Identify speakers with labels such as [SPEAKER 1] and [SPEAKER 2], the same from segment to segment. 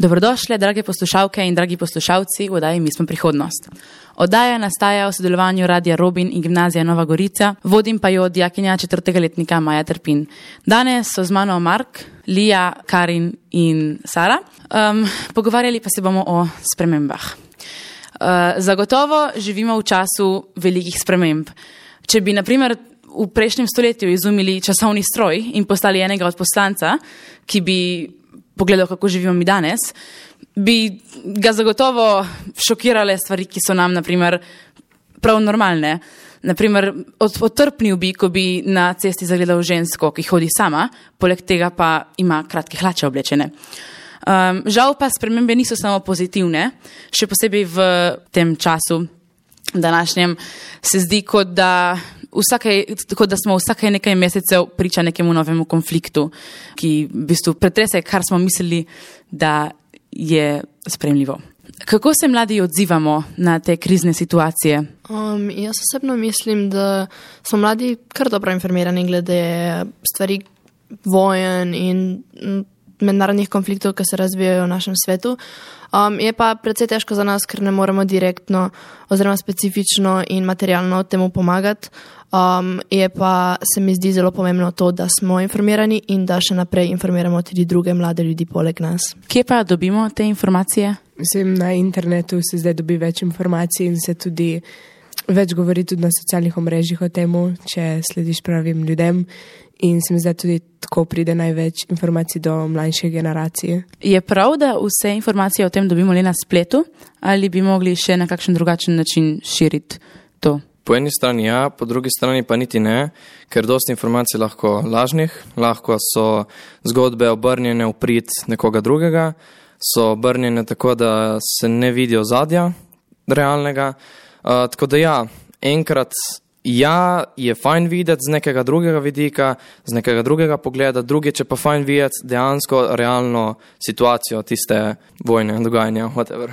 [SPEAKER 1] Dobrodošle, drage poslušalke in dragi poslušalci v oddaji Mi smo prihodnost. Oddaja nastaja v sodelovanju Radia Robin in Gimnazija Nova Gorica, vodim pa jo dijakinja 4. letnika Maja Trpin. Danes so z mano Mark, Lija, Karin in Sara. Pogovarjali pa se bomo o spremembah. Zagotovo živimo v času velikih sprememb. Če bi, na primer, v prejšnjem stoletju izumili časovni stroj in postali enega od poslanca, ki bi pogledal, kako živimo mi danes, bi ga zagotovo šokirale stvari, ki so nam, na primer, prav normalne. Naprimer, otrpnil bi, ko bi na cesti zagledal žensko, ki hodi sama, poleg tega pa ima kratke hlače oblečene. Žal pa spremembe niso samo pozitivne, še posebej v tem času današnjem se zdi, kot da smo vsake nekaj mesecev priča nekemu novemu konfliktu, ki v bistvu pretrese, kar smo mislili, da je sprejemljivo. Kako se mladi odzivamo na te krizne situacije?
[SPEAKER 2] Jaz osebno mislim, da smo mladi kar dobro informirani glede stvari vojen in mednarodnih konfliktov, ki se razvijajo v našem svetu. Je pa precej težko za nas, ker ne moremo direktno oziroma specifično in materialno temu pomagati. Je pa se mi zdi zelo pomembno to, da smo informirani in da še naprej informiramo tudi druge mlade ljudi poleg nas.
[SPEAKER 1] Kje pa dobimo te informacije?
[SPEAKER 3] Mislim, na internetu se zdaj dobi več informacij in se tudi več govori tudi na socialnih omrežjih o temu, če slediš pravim ljudem. In se mi zdaj tudi tako pride največ informacij do mlajše generacije.
[SPEAKER 1] Je prav, da vse informacije o tem dobimo le na spletu, ali bi mogli še na kakšen drugačen način širiti to?
[SPEAKER 4] Po eni strani ja, po drugi strani pa niti ne, ker dosti informacij lahko lažnih, lahko so zgodbe obrnjene v prid nekoga drugega, so obrnjene tako, da se ne vidijo ozadja realnega. Tako da ja, enkrat ja, je fajn videti z nekega drugega vidika, z nekega drugega pogleda, drugič je pa fajn videti dejansko realno situacijo tiste vojne, dogajanja, whatever.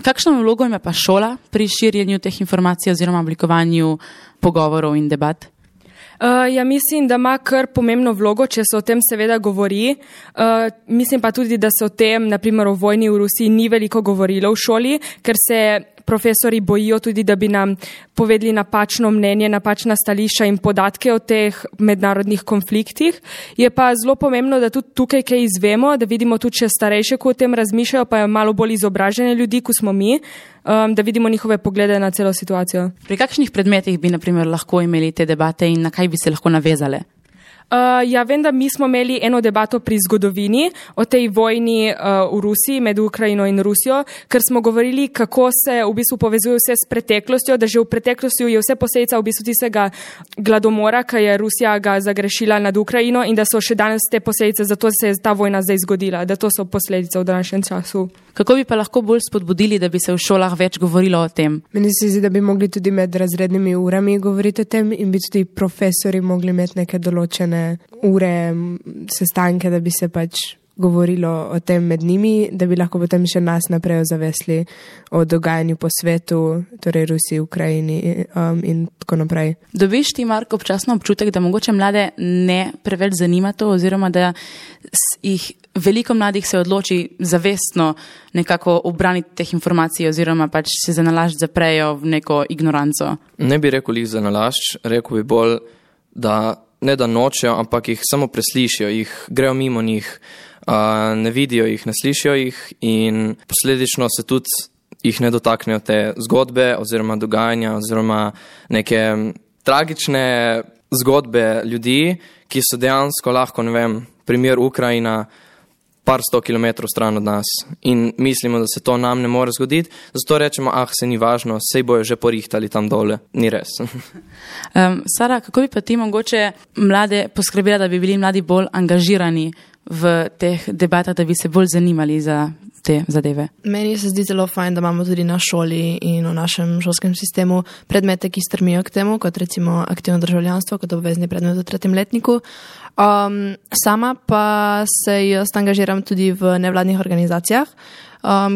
[SPEAKER 1] Kakšno vlogo ima pa šola pri širjenju teh informacij oziroma oblikovanju pogovorov in debat?
[SPEAKER 5] Ja, mislim, da ima kar pomembno vlogo, če se o tem seveda govori. Mislim pa tudi, da se o tem, naprimer o vojni v Rusiji, ni veliko govorilo v šoli, ker se profesori bojijo tudi, da bi nam povedali napačno mnenje, napačna stališča in podatke o teh mednarodnih konfliktih. Je pa zelo pomembno, da tudi tukaj kaj izvemo, da vidimo tudi še starejše, ko o tem razmišljajo, pa je malo bolj izobražene ljudi, kot smo mi, da vidimo njihove poglede na celo situacijo.
[SPEAKER 1] Pri kakšnih predmetih bi, na primer, lahko imeli te debate in na kaj bi se lahko navezale?
[SPEAKER 5] Ja, vem, da mi smo imeli eno debato pri zgodovini o tej vojni v Rusiji, med Ukrajino in Rusijo, ker smo govorili, kako se v bistvu povezuje vse s preteklostjo, da že v preteklosti je vse posledica v bistvu tistega gladomora, ki je Rusija ga zagrešila nad Ukrajino in da so še danes te posledice, zato se je ta vojna zdaj zgodila, da to so posledice v današnjem času.
[SPEAKER 1] Kako bi pa lahko bolj spodbudili, da bi se v šolah več govorilo o tem?
[SPEAKER 3] Meni se zdi, da bi mogli tudi med razrednimi urami govoriti o tem in bi tudi profesori mogli imeti neke določene ure, sestanke, da bi se pač govorilo o tem med njimi, da bi lahko potem še nas naprej ozavesli o dogajanju po svetu, torej Rusiji, Ukrajini in tako naprej.
[SPEAKER 1] Dobiš ti, Mark, občasno občutek, da mogoče mlade ne preveč zanima to, oziroma da jih veliko mladih se odloči zavestno nekako obraniti teh informacij oziroma pač se za nalašč zaprejo v neko ignoranco?
[SPEAKER 4] Ne bi rekel jih za nalašč, rekel bi bolj, da ne da nočejo, ampak jih samo preslišijo, jih grejo mimo njih, ne vidijo jih, ne slišijo jih in posledično se tudi jih ne dotaknejo te zgodbe oziroma dogajanja oziroma neke tragične zgodbe ljudi, ki so dejansko lahko, ne vem, primer Ukrajina, par 100 kilometrov stran od nas in mislimo, da se to nam ne more zgoditi, zato rečemo, se ni važno, sej bojo že porihtali tam dole, ni res.
[SPEAKER 1] Sara, kako bi pa ti mogoče mlade poskrbela, da bi bili mladi bolj angažirani v teh debatah, da bi se bolj zanimali za te zadeve?
[SPEAKER 2] Meni se zdi zelo fajn, da imamo tudi na šoli in v našem šolskem sistemu predmete, ki strmijo k temu, kot recimo aktivno državljanstvo, kot obvezni predmet v 3. letniku. Sama pa se jaz angažiram tudi v nevladnih organizacijah,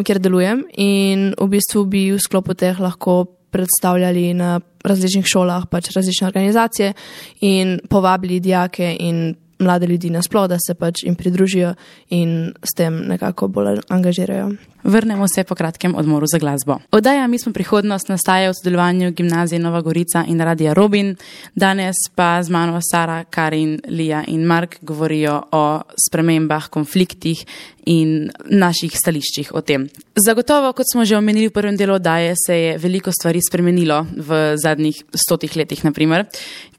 [SPEAKER 2] kjer delujem in v bistvu bi v sklopu teh lahko predstavljali na različnih šolah pač različne organizacije in povabili dijake in mlade ljudi nasploh, da se pač jim pridružijo in s tem nekako bolj angažirajo.
[SPEAKER 1] Vrnemo se po kratkem odmoru za glasbo. Oddaja Mi smo prihodnost nastaja v sodelovanju Gimnazije Nova Gorica in Radia Robin. Danes pa z mano Sara, Karin, Lija in Mark govorijo o spremembah, konfliktih in naših stališčih o tem. Zagotovo, kot smo že omenili v prvem delu oddaje, se je veliko stvari spremenilo v zadnjih 100 letih, naprimer.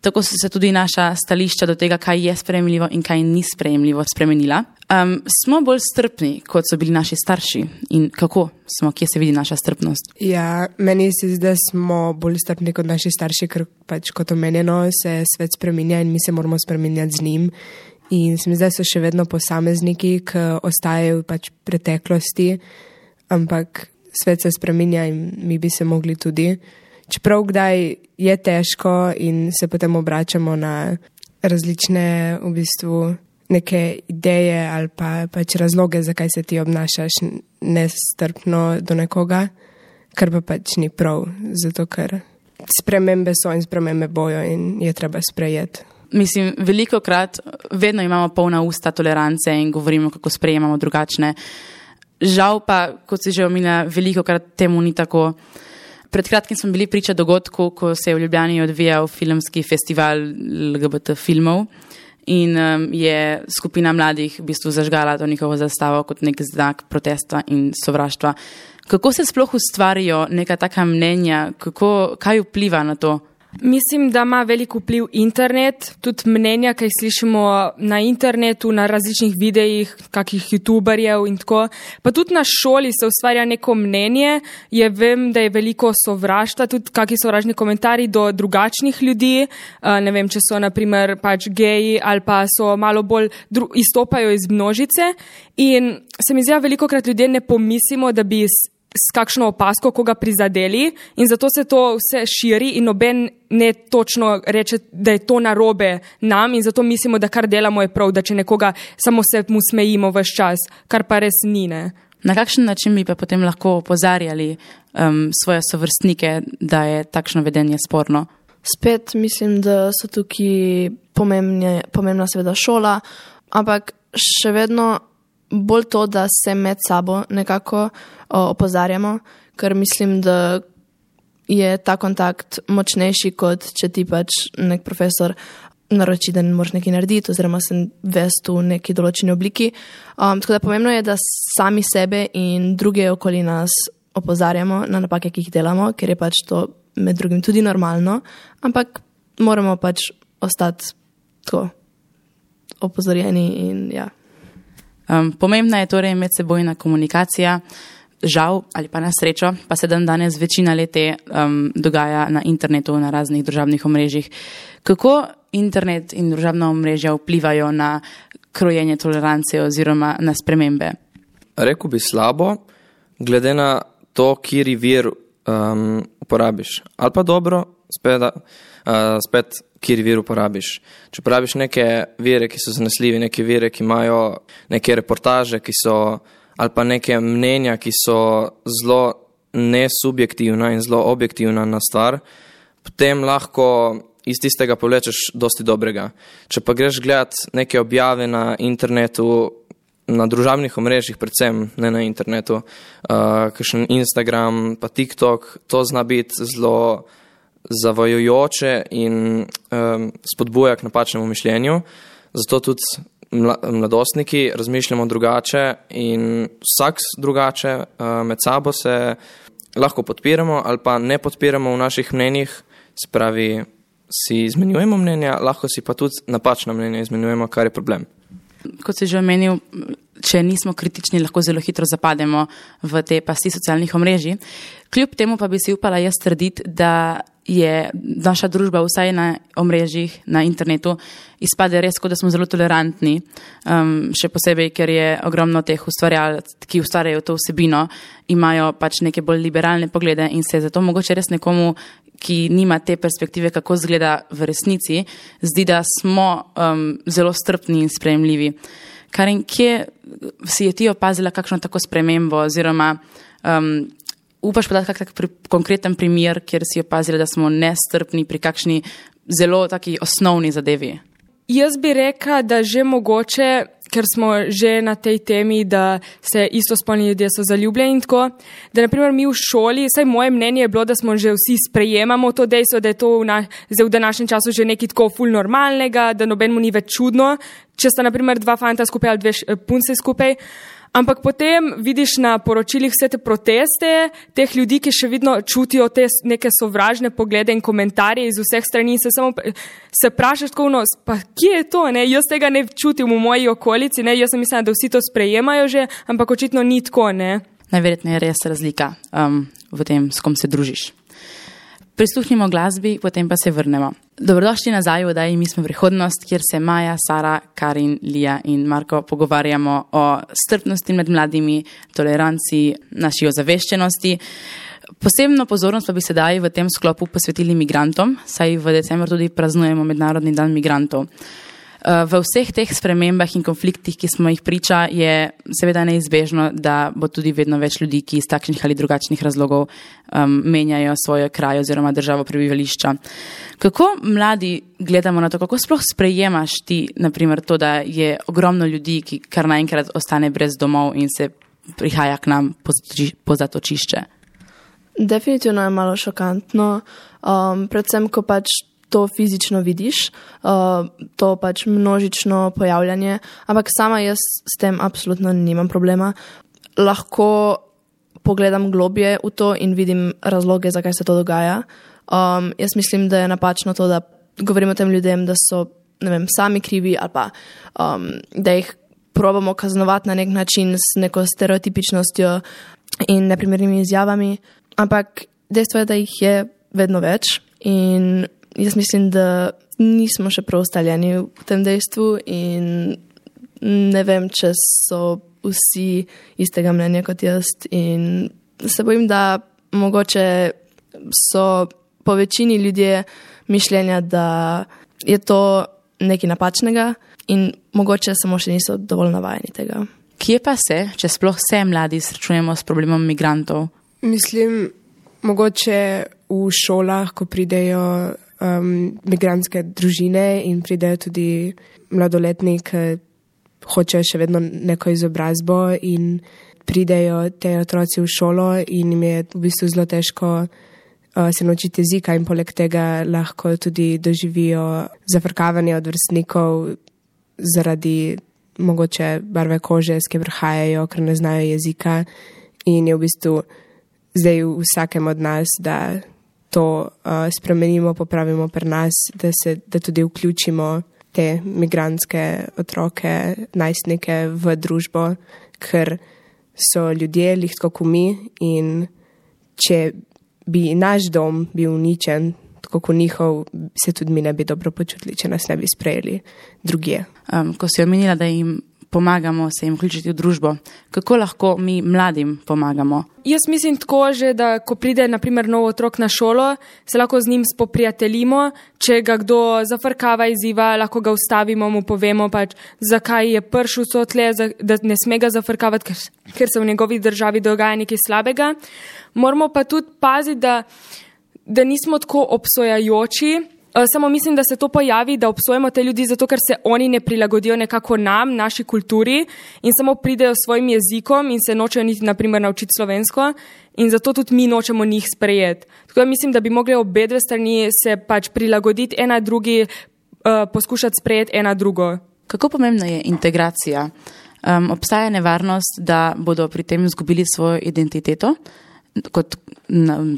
[SPEAKER 1] Tako so se tudi naša stališča do tega, kaj je sprejemljivo in kaj ni sprejemljivo, spremenila. Smo bolj strpni, kot so bili naši starši in kako smo, kje se vidi naša strpnost?
[SPEAKER 3] Ja, meni se zdi, da smo bolj strpni kot naši starši, ker pač kot omenjeno se svet spreminja in mi se moramo spreminjati z njim. In se mi zdi, da so še vedno posamezniki, ki ostajajo pač preteklosti, ampak svet se spreminja in mi bi se mogli tudi. Čeprav kdaj je težko in se potem obračamo na različne v bistvu neke ideje ali pa pač razloge, zakaj se ti obnašaš nestrpno do nekoga, kar pa pač ni prav, zato ker spremembe so in spremembe bojo in je treba sprejeti.
[SPEAKER 1] Mislim, velikokrat vedno imamo polna usta tolerance in govorimo, kako sprejemamo drugačne. Žal pa, kot si že omenila, velikokrat temu ni tako. Pred kratkim smo bili priča dogodku, ko se je v Ljubljani odvijal filmski festival LGBT filmov in je skupina mladih v bistvu zažgala to njihovo zastavo kot nek znak protesta in sovraštva. Kako se sploh ustvarijo neka taka mnenja, kaj vpliva na to?
[SPEAKER 5] Mislim, da ima velik vpliv internet, tudi mnenja, ki jih slišimo na internetu, na različnih videih, kakih youtuberjev in tako. Pa tudi na šoli se ustvarja neko mnenje, vem, da je veliko sovraštva, tudi kakšni sovražni komentarji do drugačnih ljudi, ne vem, če so naprimer pač geji ali pa so malo bolj izstopajo iz množice in se mi zdi, velikokrat ljudje ne pomislimo, da bi s kakšno opasko koga prizadeli in zato se to vse širi in noben ne točno reče, da je to narobe nam in zato mislimo, da kar delamo je prav, da če nekoga samo se mu smejimo ves čas, kar pa res ni, ne.
[SPEAKER 1] Na kakšen način bi pa potem lahko opozarjali svoje sovrstnike, da je takšno vedenje sporno?
[SPEAKER 2] Spet mislim, da so tukaj pomembna seveda šola, ampak še vedno bolj to, da se med sabo nekako opozarjamo, ker mislim, da je ta kontakt močnejši, kot če ti pač nek profesor naroči, da ne moraš nekaj narediti oziroma se vesti v neki določeni obliki. Tako da pomembno je, da sami sebe in druge okoli nas opozarjamo na napake, ki jih delamo, ker je pač to med drugim tudi normalno, ampak moramo pač ostati tako opozorjeni in ja.
[SPEAKER 1] Pomembna je torej medsebojna komunikacija, žal ali pa na srečo, pa se danes večina lete dogaja na internetu, na raznih družabnih omrežjih. Kako internet in družabna omrežja vplivajo na krojenje tolerance oziroma na spremembe?
[SPEAKER 4] Rekel bi slabo, glede na to, kjeri vir uporabiš. Ali pa dobro, spet kjer vir uporabiš. Če uporabiš neke vire, ki so zanesljivi, neke vire, ki imajo neke reportaže, ki so, ali pa neke mnenja, ki so zelo nesubjektivna in zelo objektivna na stvar, potem lahko iz tistega povlečeš dosti dobrega. Če pa greš gledat neke objave na internetu, na družabnih omrežjih, predvsem ne na internetu, kakšen Instagram, pa TikTok, to zna biti zelo zavajajoče in spodbuja k napačnemu mišljenju. Zato tudi mladostniki razmišljamo drugače in vsak drugače med sabo se lahko podpiramo ali pa ne podpiramo v naših mnenjih, se pravi, si izmenjujemo mnenja, lahko si pa tudi napačna mnenja izmenjujemo, kar je problem.
[SPEAKER 1] Kot si že omenil, če nismo kritični, lahko zelo hitro zapademo v te pasti socialnih omrežij. Kljub temu pa bi si upala jaz trditi, da je naša družba vsaj na omrežjih, na internetu, izpade res, kot da smo zelo tolerantni, še posebej, ker je ogromno teh ustvarjalcev, ki ustvarjajo to vsebino, imajo pač neke bolj liberalne poglede in se zato mogoče res nekomu, ki nima te perspektive, kako izgleda v resnici, zdi, da smo zelo strpni in sprejemljivi. Karin, kje si je ti opazila kakšno tako spremembo oziroma upaš podati kak konkreten primer, kjer si opazila, da smo nestrpni pri kakšni zelo taki osnovni zadevi?
[SPEAKER 5] Jaz bi rekla, da že mogoče, ker smo že na tej temi, da se istospolni ljudje so zaljubljeni in tako, da naprimer mi v šoli, saj moje mnenje je bilo, da smo že vsi sprejemamo to dejstvo, da je to v današnjem času že nekaj tako ful normalnega, da nobenemu ni več čudno, če sta naprimer dva fanta skupaj ali dve punce skupaj. Ampak potem vidiš na poročilih vse te proteste, teh ljudi, ki še vidno čutijo te neke sovražne poglede in komentarje iz vseh strani in se vprašaš tako, no, pa kje je to, ne? Jaz tega ne čutim v moji okolici, ne? Jaz sem mislila, da vsi to sprejemajo že, ampak očitno ni tako, ne?
[SPEAKER 1] Najverjetneje je res razlika v tem, s kom se družiš. Prisluhnimo glasbi, potem pa se vrnemo. Dobrodošli nazaj v oddaji Mi smo prihodnost, kjer se Maja, Sara, Karin, Lija in Marko pogovarjamo o strpnosti med mladimi, toleranciji, naši ozaveščenosti. Posebno pozornost pa bi sedaj v tem sklopu posvetili migrantom, saj v decembru tudi praznujemo Mednarodni dan migrantov. V vseh teh spremembah in konfliktih, ki smo jih priča, je seveda neizbežno, da bo tudi vedno več ljudi, ki iz takšnih ali drugačnih razlogov menjajo svoje kraje oziroma državo prebivališča. Kako mladi gledamo na to, kako sploh sprejemaš ti, naprimer, to, da je ogromno ljudi, ki kar naenkrat ostane brez domov in se prihaja k nam po zatočišče?
[SPEAKER 2] Definitivno je malo šokantno, predvsem, ko pač to fizično vidiš, to pač množično pojavljanje, ampak sama jaz s tem absolutno nimam problema. Lahko pogledam globje v to in vidim razloge, zakaj se to dogaja. Jaz mislim, da je napačno to, da govorimo tem ljudem, da so, ne vem, sami krivi ali pa da jih probamo kaznovati na nek način s neko stereotipičnostjo in neprimernimi izjavami, ampak dejstvo je, da jih je vedno več in jaz mislim, da nismo še preostaljeni v tem dejstvu in ne vem, če so vsi istega mnenja kot jaz in se bojim, da mogoče so po večini ljudje mišljenja, da je to nekaj napačnega in mogoče samo še niso dovolj navajeni tega.
[SPEAKER 1] Kje pa se, če sploh se mladi srečujemo s problemom migrantov?
[SPEAKER 3] Mislim, mogoče v šolah, ko pridejo migrantske družine in pridejo tudi mladoletni, ki hočejo še vedno neko izobrazbo in pridejo te otroci v šolo in jim je v bistvu zelo težko se naučiti jezika in poleg tega lahko tudi doživijo zafrkavanje od vrstnikov zaradi mogoče barve kože, s kje prihajajo, ker ne znajo jezika in je v bistvu zdaj v vsakem od nas, da to spremenimo, popravimo pri nas, da tudi vključimo te migrantske otroke, najstnike v družbo, ker so ljudje lihko kot mi in če bi naš dom bil uničen, tako kot njihov, se tudi mi ne bi dobro počutili, če nas ne bi sprejeli drugje.
[SPEAKER 1] Ko si omenila, da jim pomagamo se jim vključiti v družbo, kako lahko mi mladim pomagamo?
[SPEAKER 5] Jaz mislim tako že, da ko pride naprimer nov otrok na šolo, se lahko z njim spoprijateljimo, če ga kdo zafrkava izziva, lahko ga ustavimo, mu povemo pač, zakaj je prišel sotle, da ne sme ga zafrkavati, ker se v njegovi državi dogaja nekaj slabega. Moramo pa tudi paziti, da nismo tako obsojajoči. Samo mislim, da se to pojavi, da obsojamo te ljudi zato, ker se oni ne prilagodijo nekako nam, naši kulturi in samo pridejo s svojim jezikom in se nočejo niti naprimer naučiti slovensko in zato tudi mi nočemo njih sprejeti. Tako da mislim, da bi mogli obe dve strani se pač prilagoditi ena drugi, poskušati sprejeti ena drugo.
[SPEAKER 1] Kako pomembna je integracija? Obstaja nevarnost, da bodo pri tem izgubili svojo identiteto kot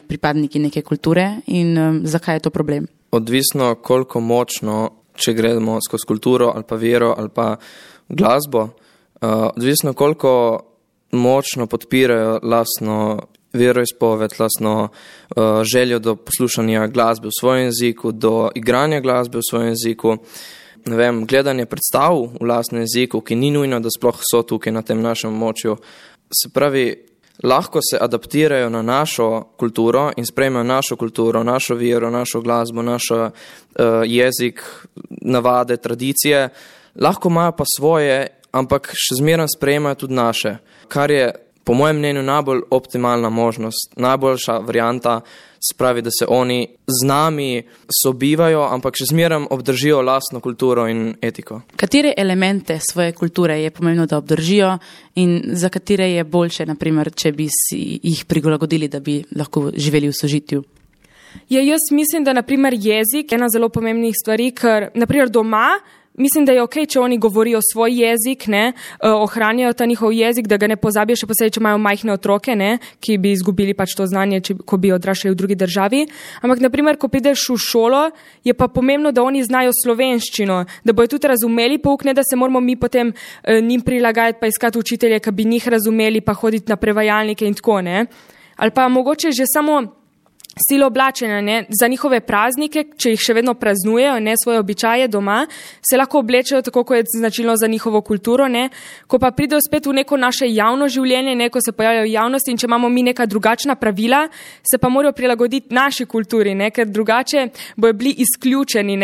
[SPEAKER 1] pripadniki neke kulture in zakaj je to problem?
[SPEAKER 4] Odvisno, koliko močno, če gremo skozi kulturo ali pa vero ali pa glasbo, odvisno, koliko močno podpirajo lastno veroizpoved, lastno željo do poslušanja glasbe v svojem jeziku, do igranja glasbe v svojem jeziku, ne vem, gledanje predstav v lastnem jeziku, ki ni nujno, da sploh so tukaj na tem našem območju. Se pravi, lahko se adaptirajo na našo kulturo in sprejmejo našo kulturo, našo vero, našo glasbo, naš jezik, navade, tradicije. Lahko imajo pa svoje, ampak še zmeraj sprejemajo tudi naše. Kar je po mojem mnenju najbolj optimalna možnost, najboljša varianta, spravi, da se oni z nami sobivajo, ampak še zmeraj obdržijo lastno kulturo in etiko.
[SPEAKER 1] Katere elemente svoje kulture je pomembno, da obdržijo in za katere je boljše, naprimer, če bi si jih prilagodili, da bi lahko živeli v sožitju?
[SPEAKER 5] Jaz mislim, da naprimer jezik je ena zelo pomembnih stvari, ker naprimer doma mislim, da je okej, če oni govorijo svoj jezik, ohranjajo ta njihov jezik, da ga ne pozabijo, še posebej, če imajo majhne otroke, ki bi izgubili pač to znanje, ko bi odraščali v drugi državi. Ampak, naprimer, ko prideš v šolo, je pa pomembno, da oni znajo slovenščino, da bojo tudi razumeli pouk, ne da se moramo mi potem njim prilagajati pa iskati učitelje, ki bi njih razumeli, pa hoditi na prevajalnike in tako, ne. Ali pa mogoče že samo stilo oblačenja, za njihove praznike, če jih še vedno praznujejo, svoje običaje doma, se lahko oblečejo tako, kot je značilno za njihovo kulturo, ko pa pridejo spet v neko naše javno življenje, ko se pojavljajo v javnosti in če imamo mi neka drugačna pravila, se pa morajo prilagoditi naši kulturi, ker drugače bojo bili izključeni,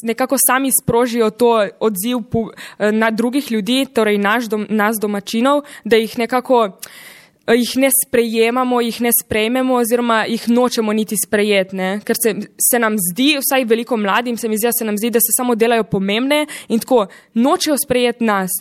[SPEAKER 5] nekako sami sprožijo to odziv na drugih ljudi, torej nas domačinov, da jih nekako jih ne sprejemamo, jih ne sprejmemo oziroma jih nočemo niti sprejeti, ker se nam zdi, vsaj veliko mladim se mi zdi, se nam zdi, da se samo delajo pomembne in tako nočejo sprejeti nas.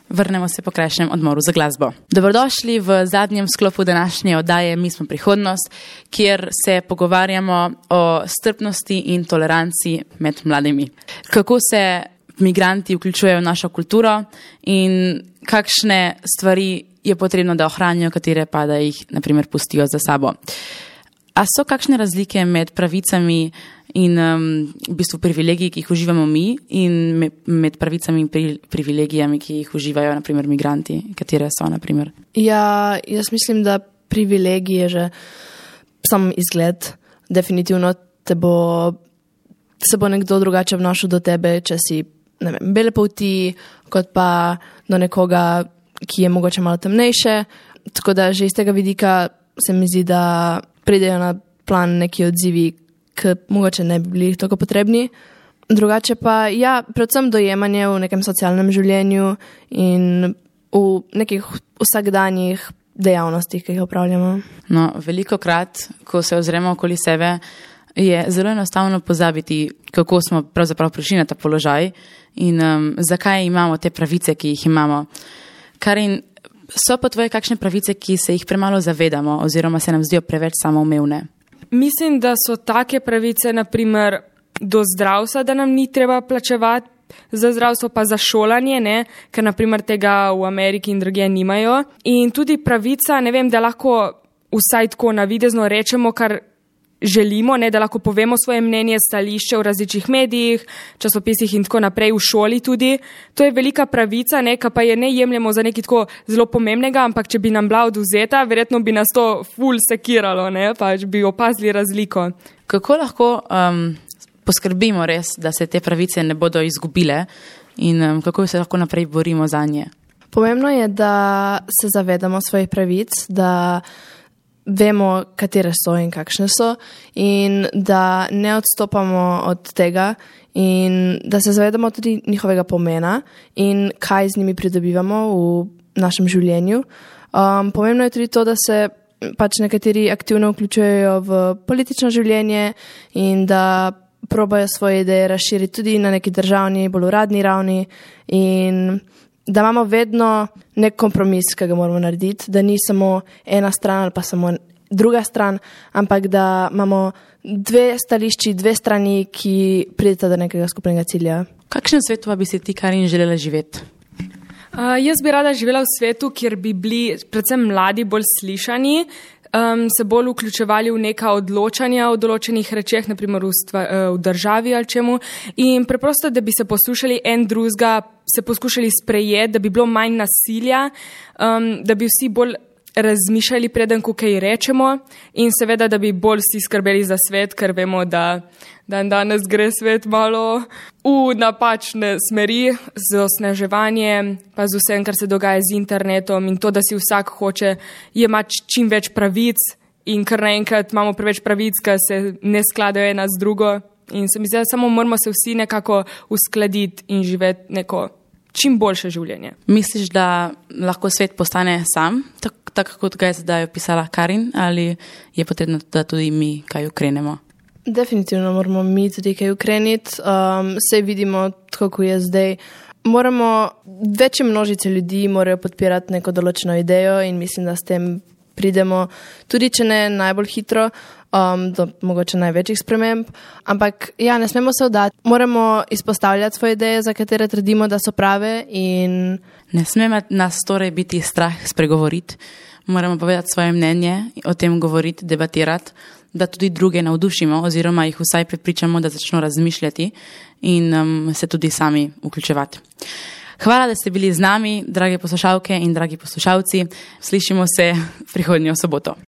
[SPEAKER 1] Vrnemo se po krajšem odmoru za glasbo. Dobrodošli v zadnjem sklopu današnje oddaje Mi smo prihodnost, kjer se pogovarjamo o strpnosti in toleranci med mladimi. Kako se migranti vključujejo v našo kulturo in kakšne stvari je potrebno, da ohranijo, katere pa da jih, naprimer, pustijo za sabo. A so kakšne razlike med pravicami in v bistvu privilegiji, ki jih uživamo mi, in med pravicami in privilegijami, ki jih uživajo, naprimer, migranti? Katere so, naprimer?
[SPEAKER 2] Ja, jaz mislim, da privilegij je že sam izgled. Definitivno se bo nekdo drugače obnašal do tebe, če si, ne vem, bele polti, kot pa do nekoga, ki je mogoče malo temnejše, tako da že iz tega vidika se mi zdi, da pridejo na plan neki odzivi, ki mogoče ne bi bili tako potrebni. Drugače pa, ja, predvsem dojemanje v nekem socialnem življenju in v nekih vsakdanjih dejavnostih, ki jih opravljamo.
[SPEAKER 1] No, velikokrat, ko se ozremo okoli sebe, je zelo enostavno pozabiti, kako smo pravzaprav prišli na ta položaj in zakaj imamo te pravice, ki jih imamo. Karin, so pa tvoje kakšne pravice, ki se jih premalo zavedamo oziroma se nam zdijo preveč samoumevne?
[SPEAKER 5] Mislim, da so take pravice, naprimer, do zdravstva, da nam ni treba plačevati za zdravstvo, pa za šolanje, ker naprimer tega v Ameriki in drugje nimajo. In tudi pravica, ne vem, da lahko vsaj tako navidezno rečemo, kar želimo, da lahko povemo svoje mnenje, stališče v različnih medijih, časopisih in tako naprej, v šoli tudi. To je velika pravica, ki pa je ne jemljemo za nekaj tako zelo pomembnega, ampak če bi nam bila odvzeta, verjetno bi nas to ful sekiralo, pač bi opazili razliko.
[SPEAKER 1] Kako lahko poskrbimo res, da se te pravice ne bodo izgubile in kako se lahko naprej borimo za nje?
[SPEAKER 2] Pomembno je, da se zavedamo svojih pravic, da vemo, katere so in kakšne so in da ne odstopamo od tega in da se zavedamo tudi njihovega pomena in kaj z njimi pridobivamo v našem življenju. Pomembno je tudi to, da se pač nekateri aktivno vključujejo v politično življenje in da probajo svoje ideje razširiti tudi na neki državni, bolj uradni ravni in da imamo vedno nek kompromis, ki ga moramo narediti, da ni samo ena stran ali pa samo druga stran, ampak da imamo dve stališči, dve strani, ki prideta do nekega skupnega cilja.
[SPEAKER 1] Kakšen svet pa bi si ti, Karin, želela živeti?
[SPEAKER 5] Jaz bi rada živela v svetu, kjer bi bili predvsem mladi bolj slišani, se bolj vključevali v neka odločanja o določenih rečeh, naprimer v državi ali čemu, in preprosto, da bi se poslušali en drugega, se poskušali sprejeti, da bi bilo manj nasilja, da bi vsi bolj razmišljali preden, ko kaj rečemo in seveda, da bi bolj vsi skrbeli za svet, ker vemo, da danes gre svet malo v napačne smeri z osnaževanjem, pa z vsem, kar se dogaja z internetom in to, da si vsak hoče imati čim več pravic in kar naenkrat imamo preveč pravic, ki se ne skladajo ena z drugo in se mi zdi, da samo moramo se vsi nekako uskladiti in živeti neko čim boljše življenje.
[SPEAKER 1] Misliš, da lahko svet postane sam, tako kot ga je zdaj opisala Karin, ali je potrebno, da tudi mi kaj ukrenemo?
[SPEAKER 2] Definitivno moramo mi tudi kaj ukreniti. Sej vidimo, kako je zdaj. Večje množice ljudi morajo podpirati neko določeno idejo in mislim, da s tem pridemo, tudi če ne najbolj hitro, do mogoče največjih sprememb. Ampak ja, ne smemo se vdati. Moramo izpostavljati svoje ideje, za katere trdimo, da so prave in...
[SPEAKER 1] Ne sme nas torej biti strah spregovoriti. Moramo povedati svoje mnenje, o tem govoriti, debatirati, da tudi druge navdušimo oziroma jih vsaj prepričamo, da začno razmišljati in se tudi sami vključevati. Hvala, da ste bili z nami, drage poslušalke in dragi poslušalci. Slišimo se prihodnjo soboto.